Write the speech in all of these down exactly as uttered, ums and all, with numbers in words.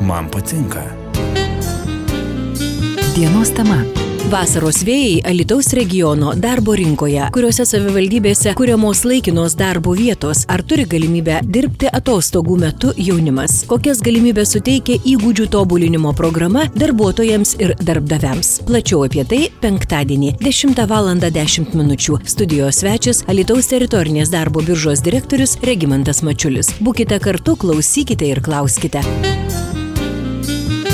Man patinka. Dienos tema. Vasaros vėjai Alytaus regiono darbo rinkoje, kuriuose savivaldybėse kuriamos laikinos darbo vietos, ar turi galimybę dirbti atostogų metu jaunimas, kokias galimybės suteikia įgūdžių tobulinimo programa darbuotojams ir darbdaviams. Plačiau apie tai penktadienį dešimtą valandą dešimt minučių. Studijos svečias Alytaus teritorinės darbo biržos direktorius Regimantas Mačiulis. Būkite kartu, klausykite ir klauskite.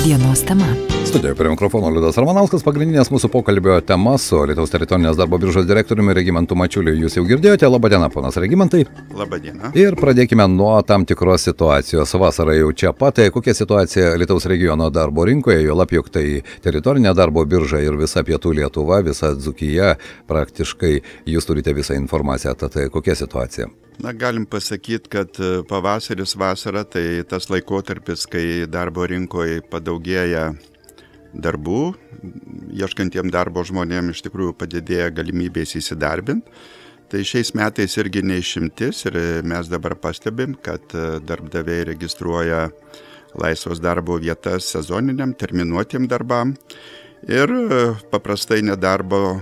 Dienos tema. Studijoje prie mikrofono Liudas Ramanauskas. Pagrindinės mūsų pokalbio tema su Alytaus teritorinės darbo biržos direktoriumi Regimantu Mačiuliu jūs jau girdėjote. Labadiena, ponas Regimantai. Labadiena. Ir pradėkime nuo tam tikros situacijos. Vasara jau čia pat. Kokia situacija Alytaus regiono darbo rinkoje, jo lab juk tai teritorinė darbo birža ir visa pietų Lietuva, visa Dzūkija, praktiškai jūs turite visą informaciją. Tad kokia situacija? Na, galim pasakyti, kad pavasaris, vasara tai tas laikotarpis, kai darbo rinkoje padaugėja darbų, ieškantiem darbo žmonėm iš tikrųjų padidėja galimybės įsidarbinti. Tai šiais metais irgi neišimtis ir mes dabar pastebim, kad darbdaviai registruoja laisvos darbo vietas sezoniniam, terminuotiem darbam ir paprastai nedarbo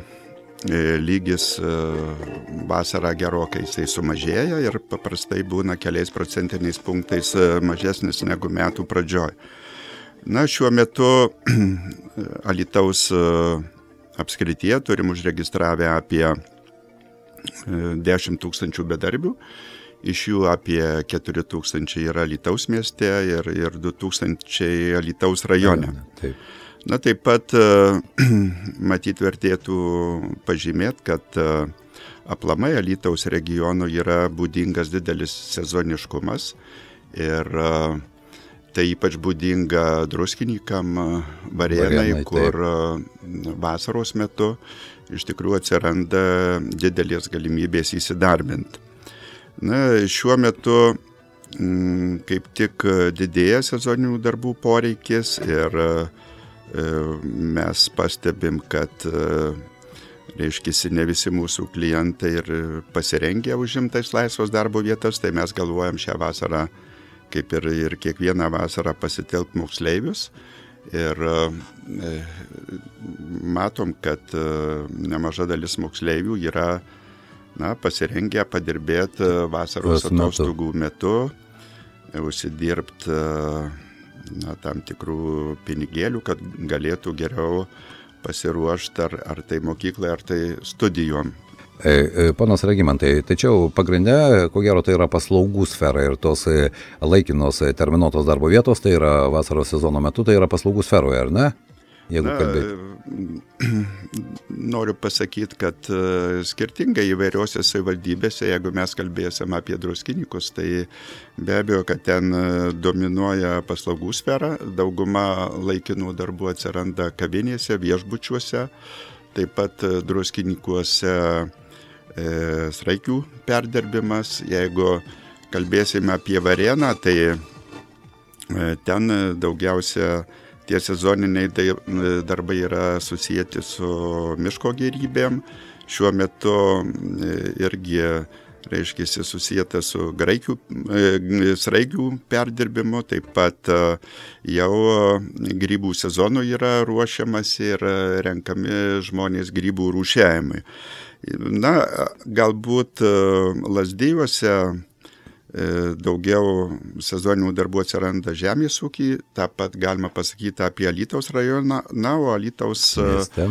lygis vasarą gerokai jisai sumažėja ir paprastai būna keliais procentiniais punktais mažesnis negu metų pradžioj. Na, šiuo metu Alytaus apskrityje turim užregistravę apie dešimt tūkstančių bedarbių, iš jų apie keturi tūkstančiai yra Alytaus mieste ir, ir du tūkstančiai Alytaus rajone. Taip. Na, taip pat matyt vertėtų pažymėti, kad aplamai Alytaus regionų yra būdingas didelis sezoniškumas ir tai ypač būdinga druskininkam, Varėnai, kur vasaros metu iš tikrųjų atsiranda didelės galimybės įsidarbinti. Na, šiuo metu m, kaip tik didėja sezoninių darbų poreikis ir mes pastebim, kad reiškisi ne visi mūsų klientai ir pasirengę užimtais laisvos darbo vietas, tai mes galvojam šią vasarą, kaip ir, ir kiekvieną vasarą pasitelkt moksleivius ir e, matom, kad e, nemaža dalis moksleivių yra na, pasirengę padirbėti vasaros atostogų metu, užsidirbti na, tam tikrų pinigėlių, kad galėtų geriau pasiruošti ar, ar tai mokyklai, ar tai studijom. Ponas Regimantai, tačiau pagrinde, ko gero, tai yra paslaugų sfera ir tos laikinos terminuotos darbo vietos, tai yra vasaros sezono metu, tai yra paslaugų sferoje, ar ne? Jeigu kalbėti. Noriu pasakyti, kad skirtingai įvairiose savivaldybėse, jeigu mes kalbėsim apie druskininkus, tai be abejo, kad ten dominuoja paslaugų sfera, dauguma laikinų darbų atsiranda kavinėse, viešbučiuose, taip pat druskininkuose e, sraigių perdirbimas. Jeigu kalbėsime apie Varėną, tai e, ten daugiausia tie sezoniniai darbai yra susijęti su miško gėrybėm. Šiuo metu irgi, reiškia, susijęta su graikių, sraigių perdirbimu, taip pat jau grybų sezonų yra ruošiamas ir renkami žmonės grybų rūšiavimui. Na, galbūt Lazdijuose daugiau sezoninių darbų atsiranda žemės ūkį, taip pat galima pasakyti apie Alytaus rajoną, na, o Alytaus mieste.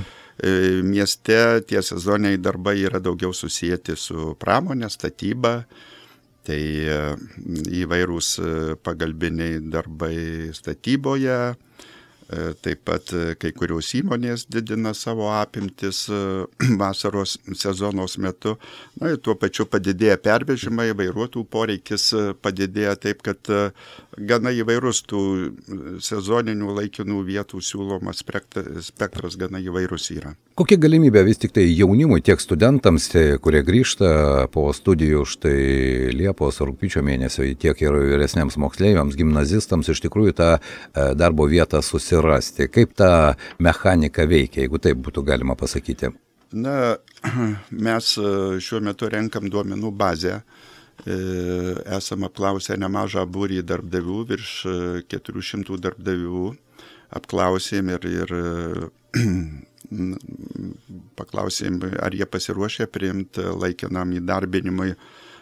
mieste tie sezoniniai darbai yra daugiau susijęti su pramonė, statyba, tai įvairūs pagalbiniai darbai statyboje, taip pat kai kurios įmonės didina savo apimtis vasaros sezonos metu. Na ir tuo pačiu padidėja pervežimai, vairuotojų poreikis padidėja taip, kad gana įvairus tų sezoninių laikinų vietų siūlomas spektras gana įvairus yra. Kokia galimybė vis tik tai jaunimui, tiek studentams, kurie grįžta po studijų štai Liepos, rugpjūčio mėnesio, tiek ir vyresniems moksleiviams, gimnazistams iš tikrųjų tą darbo vietą susirasti? Kaip ta mechanika veikia, jeigu taip būtų galima pasakyti? Na, mes šiuo metu renkam duomenų bazę esam apklausę nemažą būrį darbdavių, virš keturių šimtų darbdavių apklausėm ir, ir paklausėm, ar jie pasiruošę priimti laikinam įdarbinimui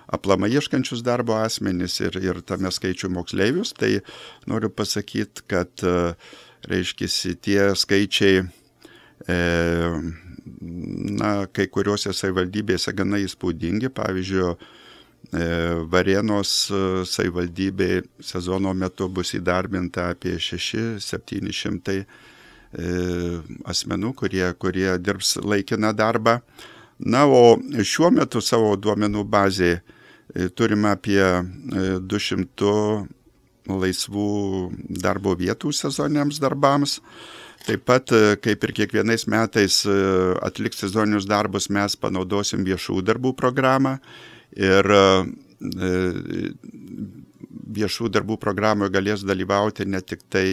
aplamai ieškančius darbo asmenis ir, ir tame skaičių moksleivius. Tai noriu pasakyti, kad, reiškisi, tie skaičiai e, na, kai kuriuose savivaldybėse gana įspūdingi. Pavyzdžiui, Varėnos savivaldybė sezono metu bus įdarbinta apie šeši septyni šimtai asmenų, kurie, kurie dirbs laikiną darbą. Na, o šiuo metu savo duomenų bazėje turime apie du šimtus laisvų darbo vietų sezoniniams darbams. Taip pat, kaip ir kiekvienais metais atliks sezoninius darbus, mes panaudosim viešų darbų programą. Ir viešų darbų programoje galės dalyvauti ne tik tai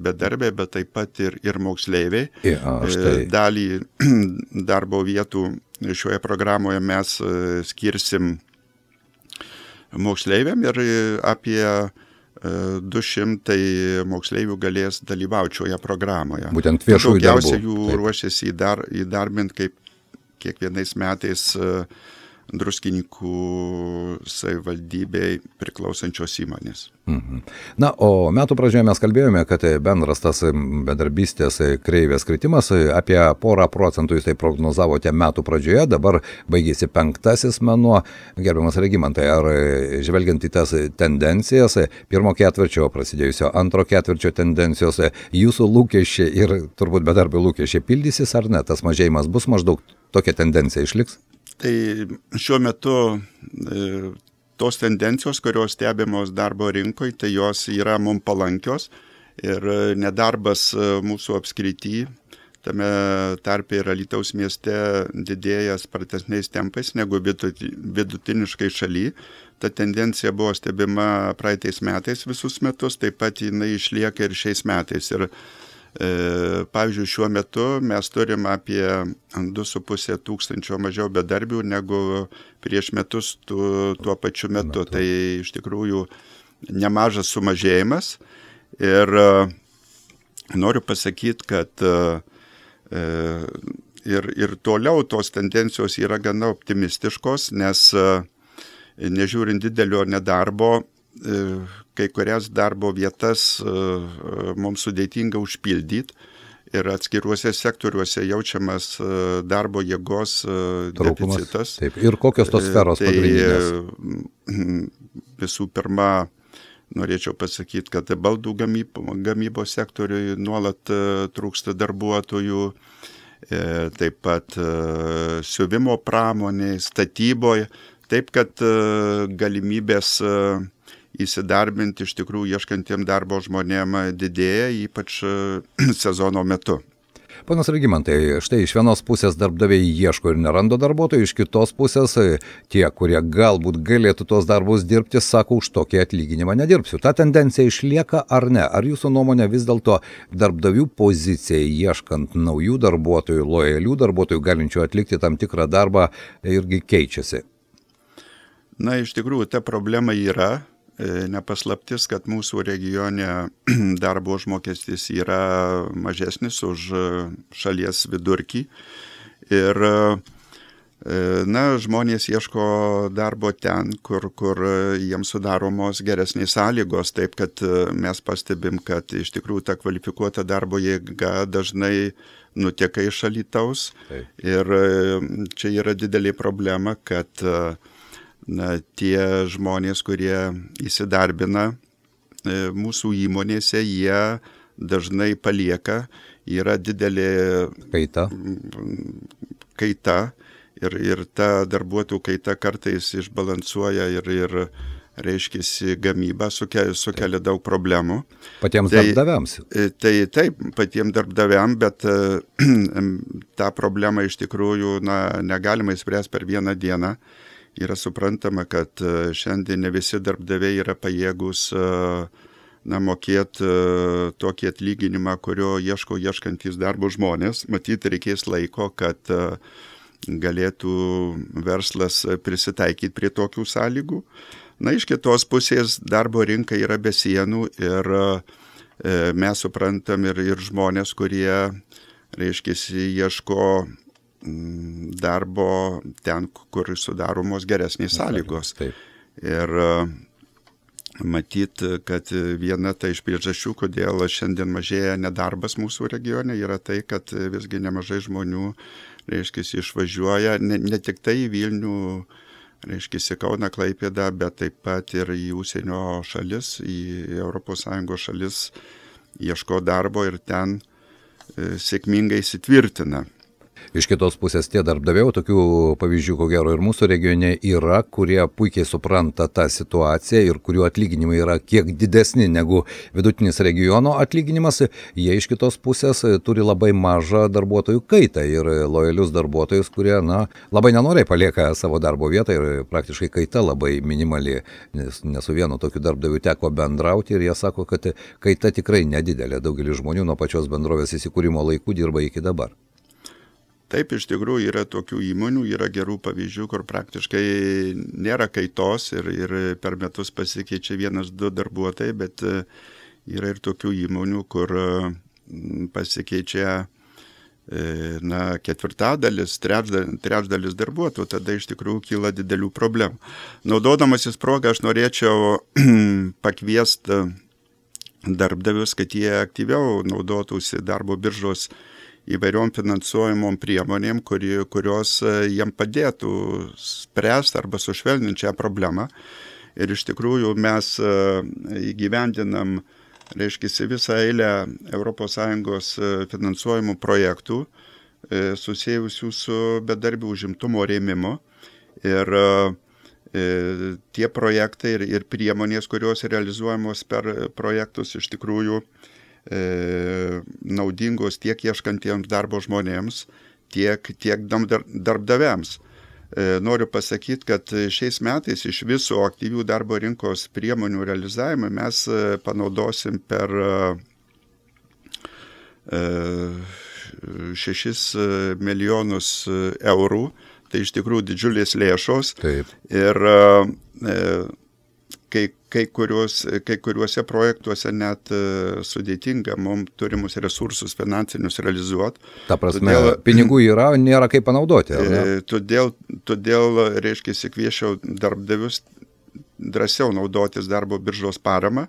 bedarbiai, bet taip pat ir, ir moksleiviai. Ja, štai. Dalį darbo vietų šioje programoje mes skirsim moksleiviam ir apie du šimtai moksleivių galės dalyvauti šioje programoje. Būtent viešųjų darbų. Daugiausia jų ruošiasi įdar, įdarbinti kaip kiekvienais metais Druskininkų savivaldybei priklausančios įmonės. Mhm. Na, o metų pradžioje mes kalbėjome, kad bendras tas bedarbystės kreivės kritimas apie porą procentų jūs tai prognozavote metų pradžioje, dabar baigėsi penktasis mėnuo. Gerbiamas Regimantai, ar žvelgiant į tas tendencijas, pirmo ketvirčio prasidėjusio antro ketvirčio tendencijos, jūsų lūkesčiai ir turbūt bedarbių lūkesčiai pildysis ar ne? Tas mažėjimas bus maždaug tokia tendencija išliks? Tai šiuo metu e, tos tendencijos, kurios stebimos darbo rinkoje, tai jos yra mums palankios ir nedarbas mūsų apskrity, tame tarpe ir Alytaus mieste didėja spartesniais tempais negu vidutiniškai šaly. Ta tendencija buvo stebima praeitais metais visus metus, taip pat jinai išlieka ir šiais metais. Ir pavyzdžiui, šiuo metu mes turim apie du su puse tūkstančio mažiau bedarbių negu prieš metus tu, tuo pačiu metu. metu. Tai iš tikrųjų nemažas sumažėjimas. Ir noriu pasakyti, kad ir, ir toliau tos tendencijos yra gana optimistiškos, nes nežiūrint didelio nedarbo, kai kurias darbo vietas mums sudėtinga užpildyti ir atskiruose sektoriuose jaučiamas darbo jėgos Trūkumas. Deficitas. Taip. Ir kokios tos sferos tai, pagrindinės? Visų pirma, norėčiau pasakyti, kad baldų gamybo, gamybos sektoriui nuolat trūksta darbuotojų, taip pat siuvimo pramonėje, statyboje, taip kad galimybės įsidarbinti iš tikrųjų ieškantiem darbo žmonėm didėja, ypač sezono metu. Ponas Regimantai, štai iš vienos pusės darbdaviai ieško ir neranda darbuotojų, iš kitos pusės tie, kurie galbūt galėtų tos darbus dirbti, sako, už tokį atlyginimą nedirbsiu. Ta tendencija išlieka ar ne? Ar jūsų nuomonė vis dėlto darbdavių pozicija ieškant naujų darbuotojų, lojalių darbuotojų, galinčių atlikti tam tikrą darbą, irgi keičiasi? Na, iš tikrųjų, ta problema yra. Nepaslaptis, kad mūsų regione darbo užmokestis yra mažesnis už šalies vidurkį. Ir na, žmonės ieško darbo ten, kur, kur jiems sudaromos geresnės sąlygos. Taip, kad mes pastebim, kad iš tikrųjų ta kvalifikuota darbo jėga dažnai nuteka iš Alytaus. Taip. Ir čia yra didelė problema, kad na, tie žmonės, kurie įsidarbina e, mūsų įmonėse, jie dažnai palieka, yra didelė kaita, kaita ir, ir ta darbuotojų kaita kartais išbalansuoja ir, ir reiškiasi gamyba, sukelia, sukelia daug problemų. Patiems tai, darbdaviams? Tai taip, patiems darbdaviams, bet tą problemą iš tikrųjų na, negalima įspręsti per vieną dieną. Yra suprantama, kad šiandien ne visi darbdaviai yra pajėgus na, mokėti tokį atlyginimą, kurio ieško ieškantys darbo žmonės. Matyt, reikės laiko, kad galėtų verslas prisitaikyti prie tokių sąlygų. Na, iš kitos pusės darbo rinka yra be sienų ir mes suprantam ir, ir žmonės, kurie, reiškia, ieško darbo ten, kur sudaromos geresnės sąlygos. Taip. Ir matyt, kad viena ta iš priežasčių, kodėl šiandien mažėja nedarbas mūsų regione, yra tai, kad visgi nemažai žmonių, reiškia, išvažiuoja ne, ne tik tai į Vilnių, reiškia, Kauną, Klaipėdą, bet taip pat ir į užsienio šalis, į Europos Sąjungos šalis ieško darbo ir ten sėkmingai įsitvirtina. Iš kitos pusės tie darbdaviai, tokių pavyzdžių, ko gero, ir mūsų regione yra, kurie puikiai supranta tą situaciją ir kurių atlyginimai yra kiek didesni negu vidutinis regiono atlyginimas. Jie iš kitos pusės turi labai mažą darbuotojų kaitą ir lojalius darbuotojus, kurie, na, labai nenoriai palieka savo darbo vietą ir praktiškai kaita labai minimali, nes ne su vienu tokiu darbdaviu teko bendrauti ir jie sako, kad kaita tikrai nedidelė. Daugelis žmonių nuo pačios bendrovės įsikūrimo laikų dirba iki dabar. Taip, iš tikrųjų yra tokių įmonių, yra gerų pavyzdžių, kur praktiškai nėra kaitos ir, ir per metus pasikeičia vienas, du darbuotojai, bet yra ir tokių įmonių, kur pasikeičia na, ketvirtadalis, trečdalis, trečdalis darbuotojų, tada iš tikrųjų kyla didelių problemų. Naudodamasis progą aš norėčiau pakviesti darbdavius, kad jie aktyviau naudotųsi darbo biržos įvairiom finansuojamom priemonėm, kuri, kurios jiem padėtų spręsti arba sušvelninti šią problemą. Ir iš tikrųjų mes įgyvendinam, reiškia, visą eilę Europos Sąjungos finansuojamų projektų susijusių su bedarbių užimtumo rėmimu. Ir tie projektai ir, ir priemonės, kurios realizuojamos per projektus, iš tikrųjų naudingos tiek ieškantiems darbo žmonėms, tiek, tiek darbdaviams. Noriu pasakyti, kad šiais metais iš viso aktyvių darbo rinkos priemonių realizavimą mes panaudosim per šešis milijonus eurų. Tai iš tikrųjų didžiulės lėšos. Taip. Ir kai, kai, kuriuos, kai kuriuose projektuose net sudėtinga mums turimus resursus finansinius realizuoti. Ta prasme, todėl, pinigų yra, nėra kaip panaudoti. Ar ne? Todėl, todėl reiškia, kviečiau darbdavius drąsiau naudotis darbo biržos paramą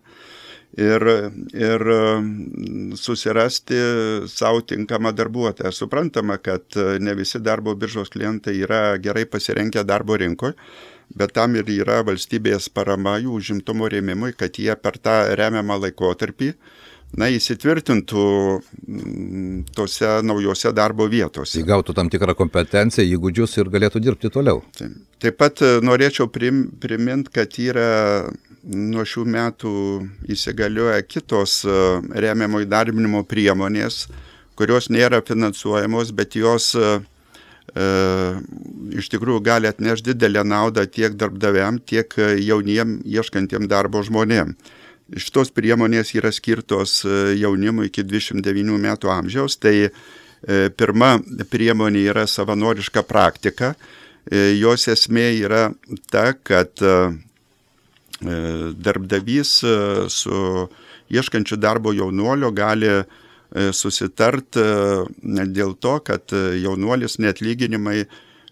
ir, ir susirasti savo tinkamą darbuotoją. Suprantama, kad ne visi darbo biržos klientai yra gerai pasirengę darbo rinkoje, bet tam ir yra valstybės parama jų užimtumo rėmimui, kad jie per tą remiamą laikotarpį na, įsitvirtintų tose naujose darbo vietose. Įgautų tam tikrą kompetenciją, įgūdžius ir galėtų dirbti toliau. Taip, Taip pat norėčiau prim, priminti, kad yra nuo šių metų įsigalioja kitos remiamo įdarbinimo priemonės, kurios nėra finansuojamos, bet jos Uh, iš tikrųjų gali atnešti didelę naudą tiek darbdaviam, tiek jauniem ieškantiem darbo žmonėm. Šitos priemonės yra skirtos jaunimui iki dvidešimt devynių metų amžiaus. Tai uh, pirma priemonė yra savanoriška praktika. Uh, jos esmė yra ta, kad uh, darbdavys uh, su ieškančiu darbo jaunuolio gali susitart dėl to, kad jaunuolis neatlyginimai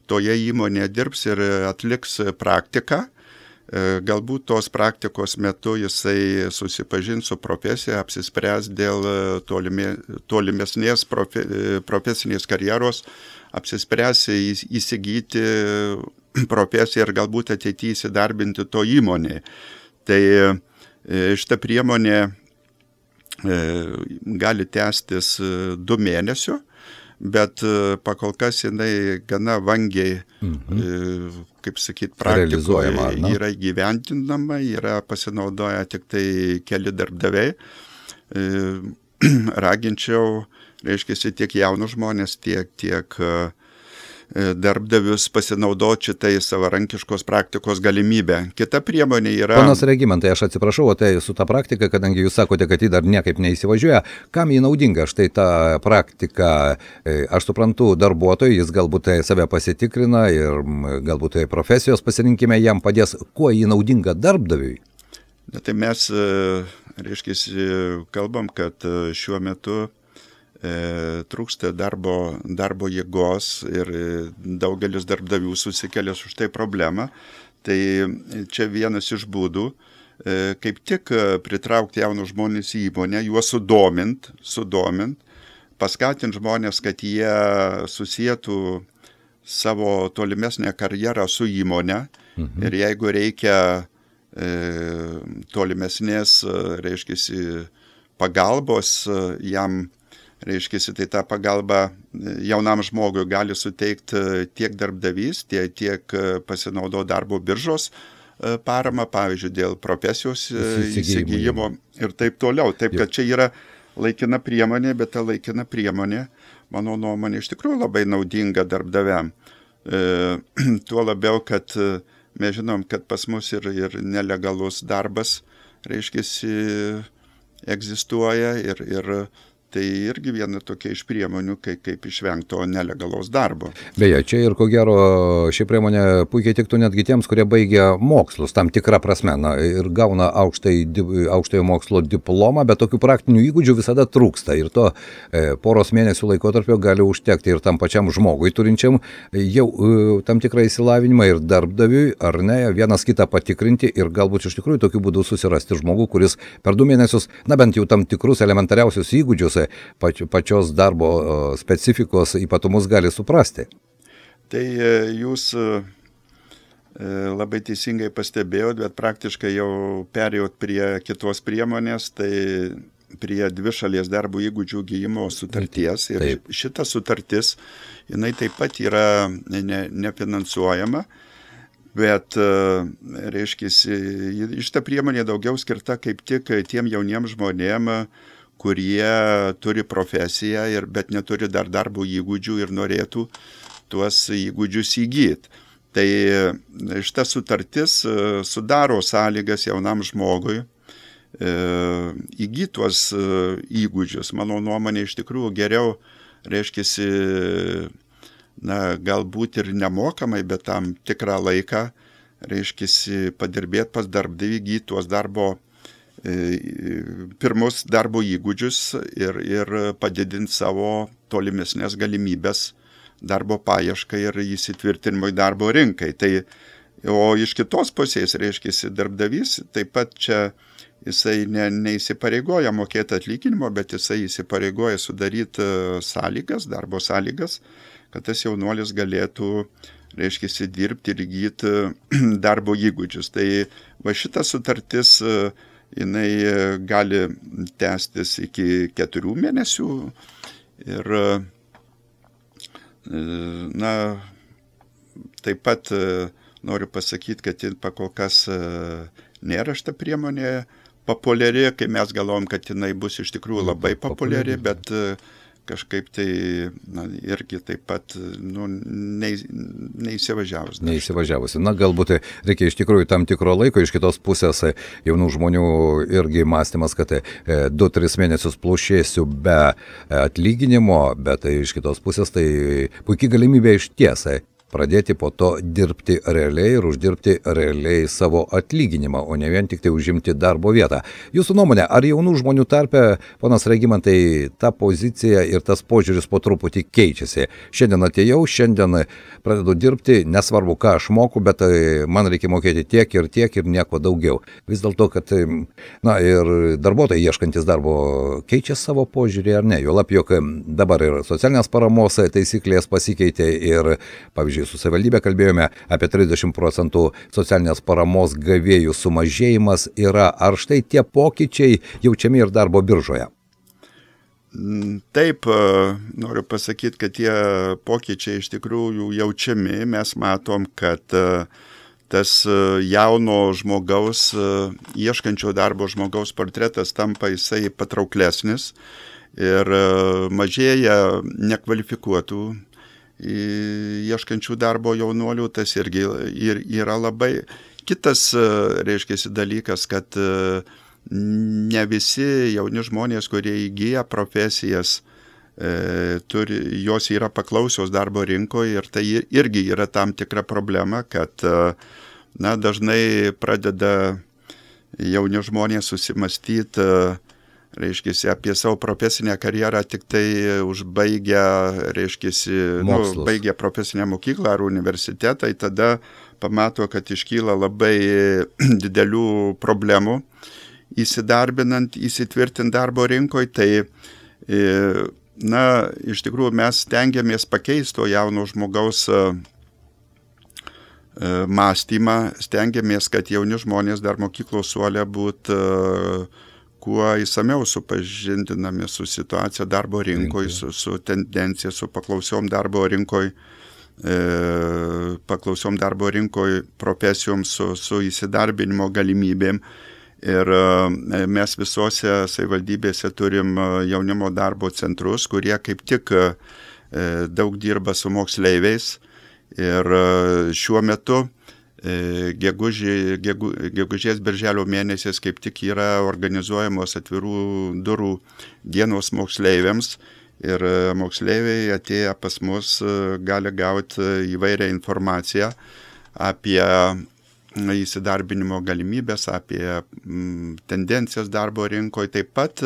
toje įmonėje dirbs ir atliks praktiką. Galbūt tos praktikos metu jisai susipažins su profesija, apsispręs dėl tolime, tolimesnės profe, profesinės karjeros, apsispręs įsigyti profesiją ir galbūt ateityje įsidarbinti to įmonėje. Tai šita priemonė gali tęstis du mėnesių, bet pakol kas jinai gana vangiai, mhm. kaip sakyt, praktikoje yra įgyvendinama, yra pasinaudoję tik tai keli darbdaviai. Raginčiau, reiškia, tiek jaunus žmonės, tiek, tiek darbdavius pasinaudoti šitai savarankiškos praktikos galimybę. Kita priemonė yra... Ponas Regimantai, aš atsiprašau, o tai su ta praktika, kadangi jūs sakote, kad ji dar niekaip neįsivažiuoja, kam ji naudinga? Štai ta praktika, aš suprantu, darbuotojui, jis galbūt save pasitikrina ir galbūt profesijos pasirinkime jam padės, kuo ji naudinga darbdaviui? Na, tai mes, reiškia, kalbam, kad šiuo metu trūksta darbo, darbo jėgos ir daugelis darbdavių susikelia už tai problemą. Tai čia vienas iš būdų, kaip tik pritraukti jaunus žmonės į įmonę, juos sudomint, sudomint, paskatinti žmonės, kad jie susietų savo tolimesnę karjerą su įmonė. Mhm. Ir jeigu reikia e, tolimesnės, reiškia, pagalbos jam, reiškia, tai tą pagalbą jaunam žmogui gali suteikti tiek darbdavys, tiek, tiek pasinaudo darbo biržos parama, pavyzdžiui, dėl profesijos įsigijimo ir taip toliau. Taip, kad čia yra laikina priemonė, bet ta laikina priemonė, mano nuomonė, iš tikrųjų labai naudinga darbdaviam. E, tuo labiau, kad mes žinom, kad pas mus ir, ir nelegalus darbas, reiškia, egzistuoja ir, ir tai irgi viena tokia iš priemonių, kaip, kaip išvengti to nelegalaus darbo. Beje, čia ir ko gero ši priemonė puikiai tiktų netgi tiems, kurie baigia mokslus, tam tikrą prasme, na, ir gauna aukštai, aukštojo mokslo diplomą, bet tokių praktinių įgūdžių visada trūksta. Ir to e, poros mėnesių laikotarpio gali užtekti ir tam pačiam žmogui turinčiam jau e, tam tikrą įsilavinimą ir darbdaviui, ar ne, vienas kitą patikrinti ir galbūt iš tikrųjų tokiu būdu susirasti žmogų, kuris per du mėnesius, na bent jau tam tikrus elementariausius įgūdžius pačios darbo specifikos ypatumus gali suprasti. Tai jūs labai teisingai pastebėjot, bet praktiškai jau perėjot prie kitos priemonės, tai prie dvišalės darbo įgūdžių įgijimo sutarties. Ir taip. Šita sutartis, jinai taip pat yra ne, nefinansuojama, bet, reiškia, šita priemonė daugiau skirta kaip tik tiem jauniem žmonėm, kurie turi profesiją, ir, bet neturi dar darbo įgūdžių ir norėtų tuos įgūdžius įgyti. Tai šita sutartis sudaro sąlygas jaunam žmogui įgyti tuos įgūdžius. Mano nuomonė, iš tikrųjų geriau, reiškia, na, galbūt ir nemokamai, bet tam tikrą laiką, reiškia, padirbėti pas darbdavį, įgyti tuos darbo pirmus darbo įgūdžius ir, ir padidinti savo tolimesnės galimybės darbo paieškai ir įsitvirtinimui darbo rinkai. Tai, o iš kitos pusės, reiškia, darbdavys taip pat čia jisai ne, neįsipareigoja mokėti atlyginimo, bet jisai įsipareigoja sudaryti sąlygas, darbo sąlygas, kad tas jaunuolis galėtų, reiškia, dirbti ir įgyti darbo įgūdžius. Tai va šita sutartis jinai gali tęstis iki keturių mėnesių ir, na, taip pat noriu pasakyti, kad pakol kas nėra šita priemonė populiari, kai mes galvom, kad jinai bus iš tikrųjų labai populiari, bet kažkaip tai, na, irgi taip pat, nu, neįsivažiavus. Neįsivažiavusi. Na, galbūt reikia iš tikrųjų tam tikro laiko, iš kitos pusės jaunų žmonių irgi mąstymas, kad du tris mėnesius plušėsiu be atlyginimo, bet iš kitos pusės tai puikiai galimybė iš tiesai pradėti po to dirbti realiai ir uždirbti realiai savo atlyginimą, o ne vien tik tai užimti darbo vietą. Jūsų nuomonė, ar jaunų žmonių tarpe, ponas Regimantai, ta pozicija ir tas požiūris po truputį keičiasi? Šiandien atėjau, šiandien pradedu dirbti, nesvarbu, ką aš moku, bet man reikia mokėti tiek ir tiek ir nieko daugiau. Vis dėlto, kad, na, ir darbuotojai ieškantis darbo keičia savo požiūrį ar ne? Juolab, jog dabar ir socialinės paramos taisyklės pasikeitė ir, pavyzdžiui, su savivaldybė kalbėjome apie trisdešimt procentų socialinės paramos gavėjų sumažėjimas yra. Ar štai tie pokyčiai jaučiami ir darbo biržoje? Taip, noriu pasakyti, kad tie pokyčiai iš tikrųjų jaučiami. Mes matom, kad tas jauno žmogaus, ieškančio darbo žmogaus portretas tampa jisai patrauklesnis ir mažėja nekvalifikuotų ieškančių darbo jaunuolių, tas irgi ir yra labai. Kitas, reiškia, dalykas, kad ne visi jauni žmonės, kurie įgyja profesijas, E, turi, jos yra paklausios darbo rinkoje ir tai irgi yra tam tikra problema, kad na, dažnai pradeda jauni žmonės susimastyti, reiškia, apie savo profesinę karjerą tik tai užbaigę, reiškia, nu, baigę profesinę mokyklą ar universitetą, tai tada pamato, kad iškyla labai didelių problemų įsidarbinant, įsitvirtinti darbo rinkoje, tai e, na, iš tikrųjų mes stengiamės pakeisti to jauno žmogaus mąstymą, stengiamės, kad jauni žmonės dar mokyklos suole būtų kuo įsamiau supažindinami su situacija darbo rinkoje, su, su tendencija, su paklausiom darbo rinkoje, paklausiom darbo rinkoje profesijom, su, su įsidarbinimo galimybėm. Ir mes visose savivaldybėse turim jaunimo darbo centrus, kurie kaip tik daug dirba su moksleiviais. Ir šiuo metu gegužė, gegu, gegužės birželio mėnesiais kaip tik yra organizuojamos atvirų durų dienos moksleiviams. Ir moksleiviai atėję pas mus gali gauti įvairią informaciją apie įsidarbinimo galimybės, apie m, tendencijas darbo rinkoje, taip pat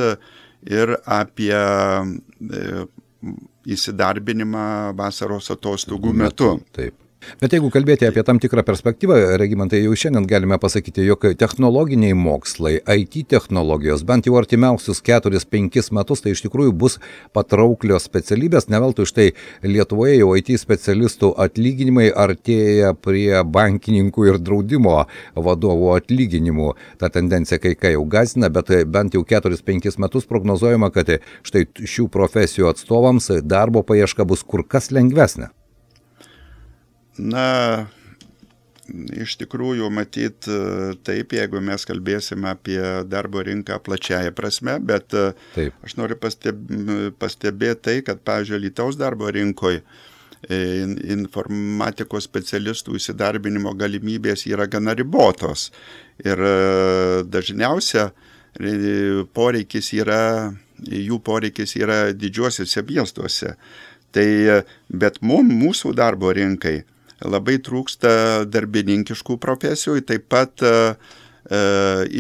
ir apie e, įsidarbinimą vasaros atostogų metu. Taip. Bet jeigu kalbėti apie tam tikrą perspektyvą, Regimantai, jau šiandien galime pasakyti, jog technologiniai mokslai, I T technologijos, bent jau artimiausius keturis penkis metus, tai iš tikrųjų bus patrauklios specialybės, ne veltui štai Lietuvoje jau I T specialistų atlyginimai artėja prie bankininkų ir draudimo vadovų atlyginimų. Ta tendencija kai ką jau gąsdina, bet bent jau keturis penkis metus prognozuojama, kad štai šių profesijų atstovams darbo paieška bus kur kas lengvesnė. Na, iš tikrųjų, matyt, taip, jeigu mes kalbėsime apie darbo rinką plačiaja prasme, bet taip. Aš noriu pastebėti tai, kad, pavyzdžiui, Alytaus darbo rinkoje informatikos specialistų įsidarbinimo galimybės yra gana ribotos. Ir dažniausia poreikis yra, jų poreikis yra didžiuosiuose miestuose. Tai, bet mum, mūsų darbo rinkai labai trūksta darbininkiškų profesijų, taip pat e,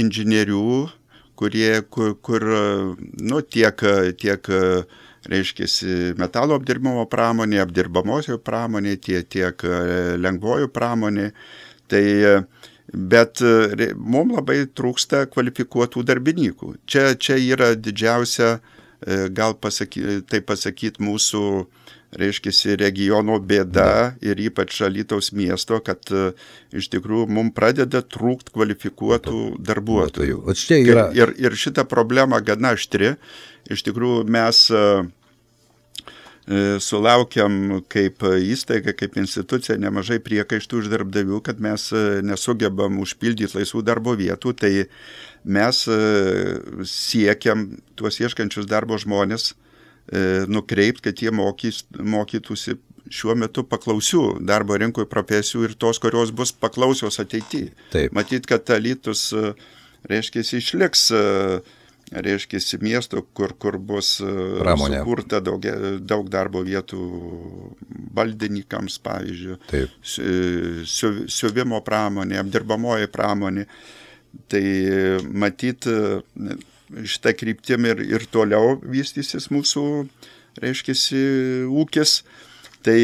inžinierių, kurie, kur, kur nu, tiek, tiek reiškiasi, metalo apdirbimo pramonė, apdirbamosios pramonė, tiek, tiek lengvojų pramonė. Tai, bet mums labai trūksta kvalifikuotų darbininkų. Čia, čia yra didžiausia, gal pasaky, tai pasakyti, mūsų reiškiasi regiono bėda ir ypač Alytaus miesto, kad iš tikrųjų mums pradeda trūkti kvalifikuotų darbuotojų. Yra... Ir, ir šita problema gana aštri. Iš tikrųjų mes sulaukiam kaip įstaiga, kaip institucija nemažai priekaištų iš darbdavių, kad mes nesugebam užpildyti laisvų darbo vietų, tai mes siekiam tuos ieškančius darbo žmonės nukreipti, kad jie mokys, mokytųsi šiuo metu paklausių darbo rinkoje profesijų ir tos, kurios bus paklausios ateityje. Matyt, kad Alytus, reiškia, išliks, reiškia, miesto, kur, kur bus pramonė. Sukurta daug, daug darbo vietų baldininkams, pavyzdžiui, Siu, siuvimo pramonė, apdirbamoji pramonė. Tai matyt, šitą kryptim ir, ir toliau vystysis mūsų, reiškiasi, ūkis. Tai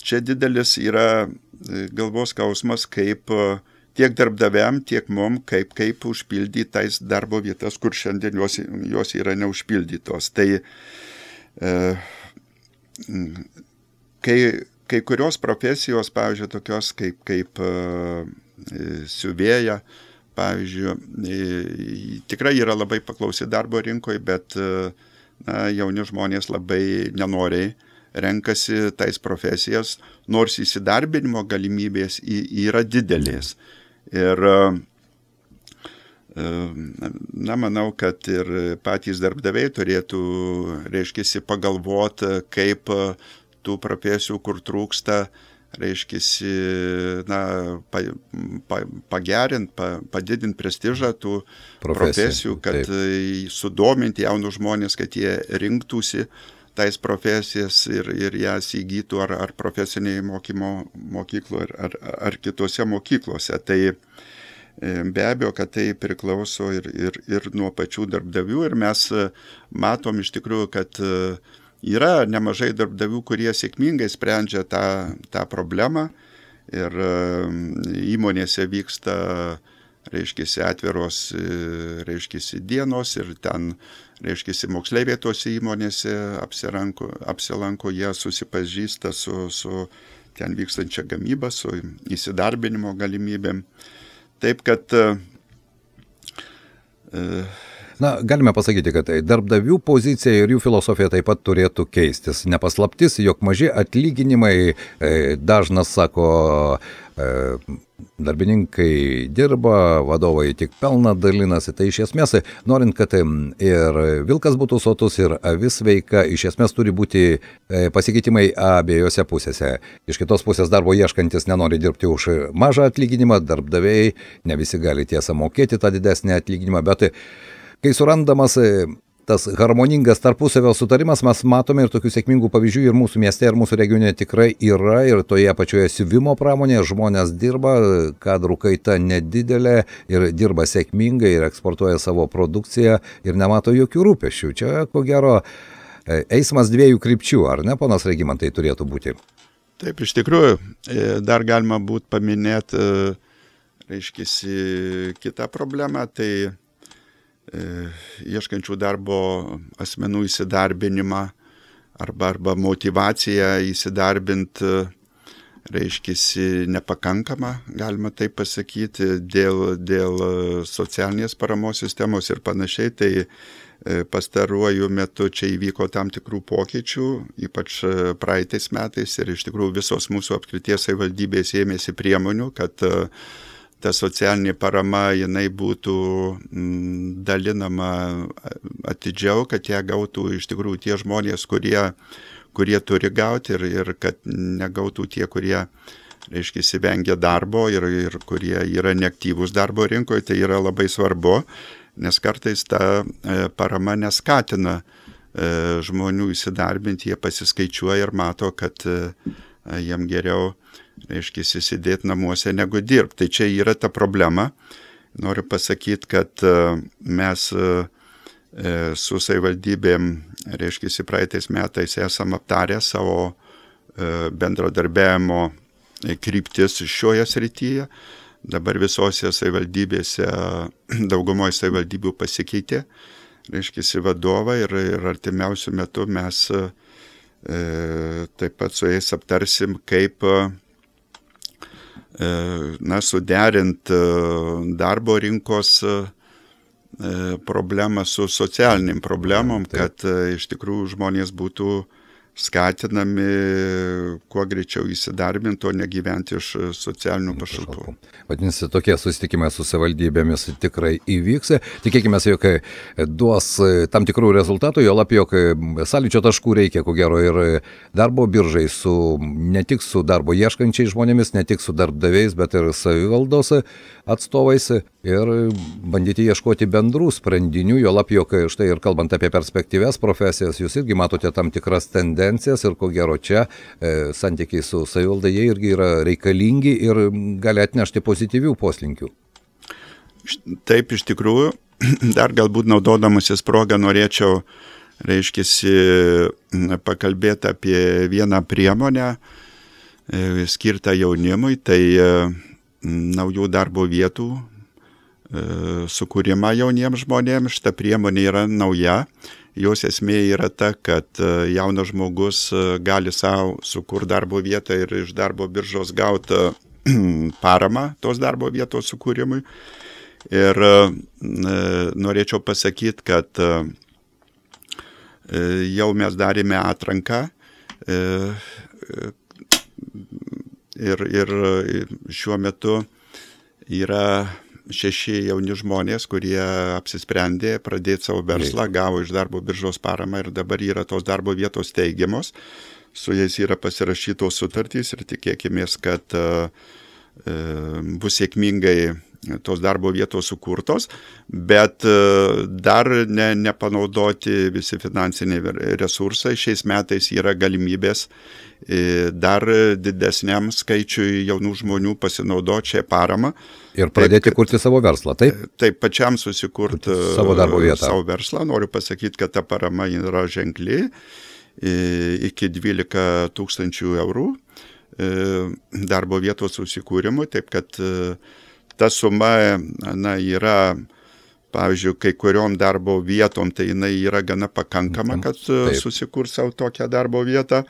čia didelis yra galvos skausmas, kaip tiek darbdaviam, tiek mum, kaip, kaip užpildyti tais darbo vietas, kur šiandien jos, jos yra neužpildytos. Tai e, kai, kai kurios profesijos, pavyzdžiui, tokios kaip, kaip e, siuvėja, pavyzdžiui, tikrai yra labai paklausi darbo rinkoje, bet na, jauni žmonės labai nenoriai renkasi tais profesijas, nors įsidarbinimo galimybės yra didelės. Ir na, manau, kad ir patys darbdaviai turėtų, reiškiasi, pagalvoti, kaip tų profesijų, kur trūksta, reiškisi, na, pa, pa, pagerint, pa, padidint prestižą tų profesijų, kad taip. Sudominti jaunus žmonės, kad jie rinktųsi tais profesijas ir, ir jas įgytų ar, ar profesinėje mokymo mokykloje, ar, ar, ar kitose mokyklose. Tai be abejo, kad tai priklauso ir, ir, ir nuo pačių darbdavių ir mes matom iš tikrųjų, kad yra nemažai darbdavių, kurie sėkmingai sprendžia tą, tą problemą ir įmonėse vyksta, reiškiasi, atviros, reiškiasi, dienos ir ten, reiškiasi, moksleiviai tose įmonėse apsilanko, apsilanko jie susipažįsta su, su ten vykstančia gamyba, su įsidarbinimo galimybėm. Taip, kad e, Na, galime pasakyti, kad darbdavių pozicija ir jų filosofija taip pat turėtų keistis. Nepaslaptis, jog maži atlyginimai, dažnas sako, darbininkai dirba, vadovai tik pelną dalinasi. Tai iš esmės, norint, kad ir vilkas būtų sotus, ir avis sveika, iš esmės turi būti pasikeitimai abiejose pusėse. Iš kitos pusės darbo ieškantis nenori dirbti už mažą atlyginimą, darbdaviai ne visi gali tiesą mokėti tą didesnį atlyginimą, bet kai surandamas tas harmoningas tarpusavio sutarimas, mes matome ir tokių sėkmingų pavyzdžių ir mūsų mieste, ir mūsų regione tikrai yra, ir toje pačioje siuvimo pramonėje žmonės dirba, kadrų kaita nedidelė ir dirba sėkmingai ir eksportuoja savo produkciją ir nemato jokių rūpesčių. Čia, ko gero, eismas dviejų krypčių, ar ne, ponas Regimantai, turėtų būti? Taip, iš tikrųjų, dar galima būtų paminėti, reiškisi, kitą problemą, tai ieškančių darbo asmenų įsidarbinimą arba, arba motivaciją įsidarbinti, reiškisi, nepakankama, galima taip pasakyti, dėl, dėl socialinės paramos sistemos ir panašiai. Tai pastaruoju metu čia įvyko tam tikrų pokyčių, ypač praeitais metais, ir iš tikrųjų visos mūsų apskrities savivaldybės ėmėsi priemonių, kad ta socialinė parama, jinai būtų dalinama atidžiau, kad ją gautų iš tikrųjų tie žmonės, kurie, kurie turi gauti ir, ir kad negautų tie, kurie, reiškia, vengia darbo ir, ir kurie yra neaktyvūs darbo rinkoje. Tai yra labai svarbu, nes kartais ta parama neskatina žmonių įsidarbinti, jie pasiskaičiuoja ir mato, kad jiem geriau, reiškia, sėdėti namuose negu dirbti. Tai čia yra ta problema. Noriu pasakyti, kad mes su savivaldybėm, reiškia, praeitais metais esam aptarę savo bendradarbiavimo kryptis šioje srityje. Dabar visose savivaldybėse, daugumoje savivaldybių pasikeitė, reiškia, vadovą ir, ir artimiausių metų mes taip pat su jais aptarsim, kaip na, suderint darbo rinkos problemą su socialiniam problemom, kad iš tikrųjų žmonės būtų skatinami kuo greičiau įsidarbinti, o negyventi iš socialinių pašalpų. Vadinasi, tokie susitikimai su savivaldybėmis tikrai įvyks. Tikėkime, jog duos tam tikrų rezultatų, jo lab, jog sąlyčio taškų reikia, ko gero, ir darbo biržai, su, ne tik su darbo ieškančiais žmonėmis, ne tik su darbdaviais, bet ir savivaldos atstovais ir bandyti ieškoti bendrų sprendinių, jo lab, jog štai ir kalbant apie perspektyves profesijas, jūs irgi matote tam tikras tendencijas ir ko gero čia e, santykiai su savivalda, jie irgi yra reikalingi ir gali atnešti pozityvių poslinkių. Taip, iš tikrųjų, dar galbūt naudodamasis progą norėčiau, reiškiasi, pakalbėti apie vieną priemonę e, skirtą jaunimui, tai e, naujų darbo vietų e, sukūrimą jauniems žmonėms. Šita priemonė yra nauja. Jos esmė yra ta, kad jaunas žmogus gali savo sukurti darbo vietą ir iš darbo biržos gauti paramą tos darbo vietos sukūrimui. Ir norėčiau pasakyti, kad jau mes darėme atranką ir, ir šiuo metu yra šeši jauni žmonės, kurie apsisprendė pradėti savo verslą, gavo iš darbo biržos paramą ir dabar yra tos darbo vietos teigiamos. su jais yra pasirašytos sutartys ir tikėkimės, kad bus sėkmingai tos darbo vietos sukurtos, bet dar ne, nepanaudoti visi finansiniai resursai. Šiais metais yra galimybės dar didesniam skaičiui jaunų žmonių pasinaudoti šią paramą. Ir pradėti taip, kurti savo verslą, taip? Taip, pačiam susikurti savo darbo vietą. Savo verslą. Noriu pasakyti, kad ta parama yra ženkli, iki dvylika tūkstančių eurų darbo vietos susikūrimui, taip kad ta suma na, yra, pavyzdžiui, kai kuriom darbo vietom, tai jinai yra gana pakankama, kad taip. Susikurs savo tokią darbo vietą.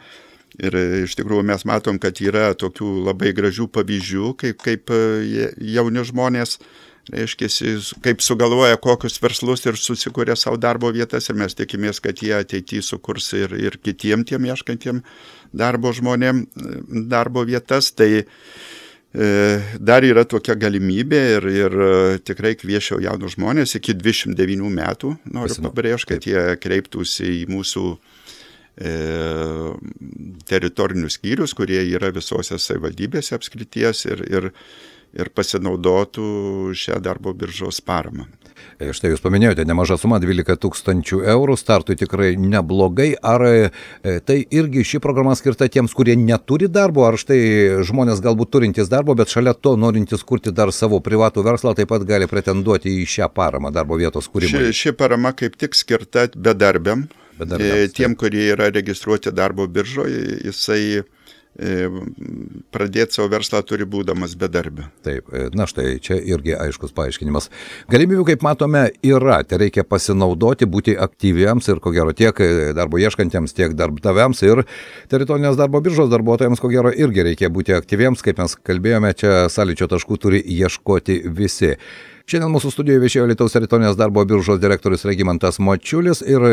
Ir iš tikrųjų mes matom, kad yra tokių labai gražių pavyzdžių, kaip, kaip jauni žmonės, reiškia, kaip sugalvoja kokius verslus ir susikuria savo darbo vietas, ir mes tikimės, kad jie ateityje sukurs ir, ir kitiem tiem ieškantiem darbo žmonėm darbo vietas. Tai e, dar yra tokia galimybė ir, ir tikrai kviečiau jaunus žmonės iki dvidešimt devynių metų, noriu Pasinu. pabrėžti, kad jie kreiptųsi į mūsų e, teritorinius skyrius, kurie yra visose savivaldybėse apskrities ir, ir ir pasinaudotų šią darbo biržos paramą. Štai jūs paminėjote nemažą sumą, dvylika tūkstančių eurų, startui tikrai neblogai. Ar tai irgi ši programa skirta tiems, kurie neturi darbo, ar štai žmonės galbūt turintys darbo, bet šalia to norintys kurti dar savo privatų verslą, taip pat gali pretenduoti į šią paramą darbo vietos kūrimui? Ši, ši parama kaip tik skirta bedarbiam, bedarbiams, tiem, taip. Kurie yra registruoti darbo biržoje, jisai pradėti savo verslą turi būdamas bedarbiu. Taip, na štai, čia irgi aiškus paaiškinimas. Galimybių, kaip matome, yra. Tai reikia pasinaudoti, būti aktyviems ir, ko gero, tiek darbo ieškantiems, tiek darbdaviams ir teritorinės darbo biržos darbuotojams, ko gero, irgi reikia būti aktyviems. Kaip mes kalbėjome, čia sąlyčio taškų turi ieškoti visi. Šiandien mūsų studijoje viešėjo Alytaus teritorinės darbo biržos direktorius Regimantas Mačiulis ir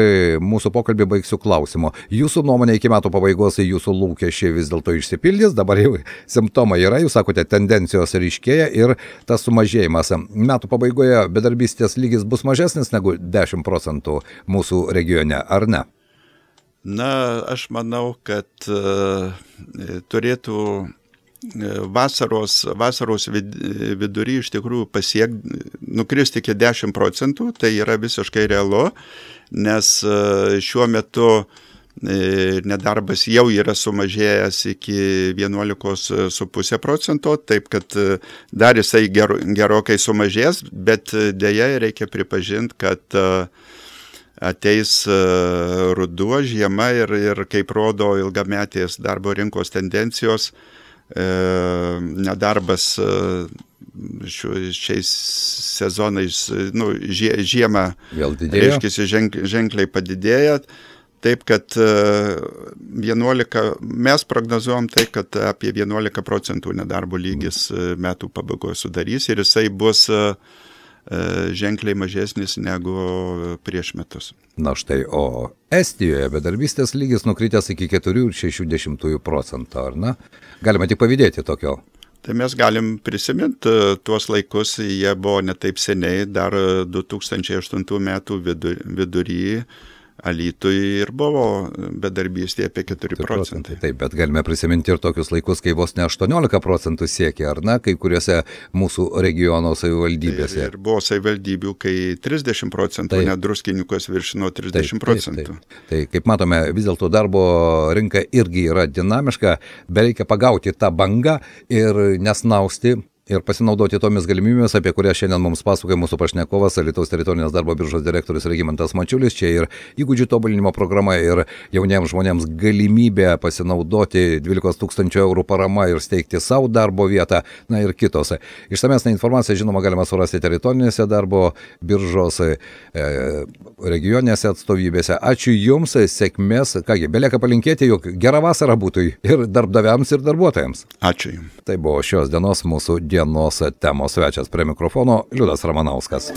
mūsų pokalbį baigsiu klausimu. Jūsų nuomonė iki metų pabaigos jūsų lūkesčiai vis dėlto išsipildys, dabar jau simptomai yra, jūs sakote, tendencijos ryškėja ir tas sumažėjimas. Metų pabaigoje bedarbystės lygis bus mažesnis negu dešimt procentų mūsų regione, ar ne? Na, aš manau, kad uh, turėtų Vasaros, vasaros vidury iš tikrųjų pasiek, nukristi iki dešimt procentų, tai yra visiškai realu, nes šiuo metu nedarbas jau yra sumažėjęs iki vienuolika su puse procento, taip kad dar jisai ger, gerokai sumažės, bet deja reikia pripažinti, kad ateis ruduo, žiema ir, ir kaip rodo ilgametės darbo rinkos tendencijos, nedarbas šiais sezonais, nu, žiemą reiškiasi ženk, ženkliai padidėja, taip kad vienuolika, mes prognozuojam tai, kad apie vienuolika procentų nedarbo lygis metų pabaigoje sudarys ir jisai bus ženkliai mažesnis negu prieš metus. Na štai, o Estijoje bedarbystės lygis nukritęs iki keturi ir šeši dešimtųjų procento, ar ne? Galima tik pavydėti tokio. Tai mes galim prisiminti tuos laikus, jie buvo ne taip seniai, dar du tūkstančiai aštuntų metų vidur, vidury Alytui ir buvo bedarbystė apie keturi procentai. Taip, bet galime prisiminti ir tokius laikus, kai vos ne aštuoniolika procentų siekia, ar ne, kai kuriuose mūsų regiono savivaldybėse. Ir, ir buvo savivaldybių, kai trisdešimt procentų, net Druskininkuos viršino trisdešimt procentų. Taip, taip, taip. Tai kaip matome, vis dėlto darbo rinka irgi yra dinamiška, bereikia pagauti tą bangą ir nesnausti ir pasinaudoti tomis galimybėmis, apie kurias šiandien mums pasakoja mūsų pašnekovas, Alytaus teritorinės darbo biržos direktorius Regimantas Mačiulis. Čia ir įgūdžių tobulinimo programa, ir jauniems žmonėms galimybė pasinaudoti dvylikos tūkstančių eurų parama ir steigti savo darbo vietą, na ir kitos. Išsamesnę informaciją, žinoma, galima surasti teritorinėse darbo biržos e, regioninėse atstovybėse. Ačiū Jums, sėkmės. Kągi, belieka palinkėti, jog gera vasara būtų ir darbdaviams, ir darbuotojams. Ačiū Jums. Tai buvo šios dienos mūsų dienos temos svečias, prie mikrofono Liudas Ramanauskas.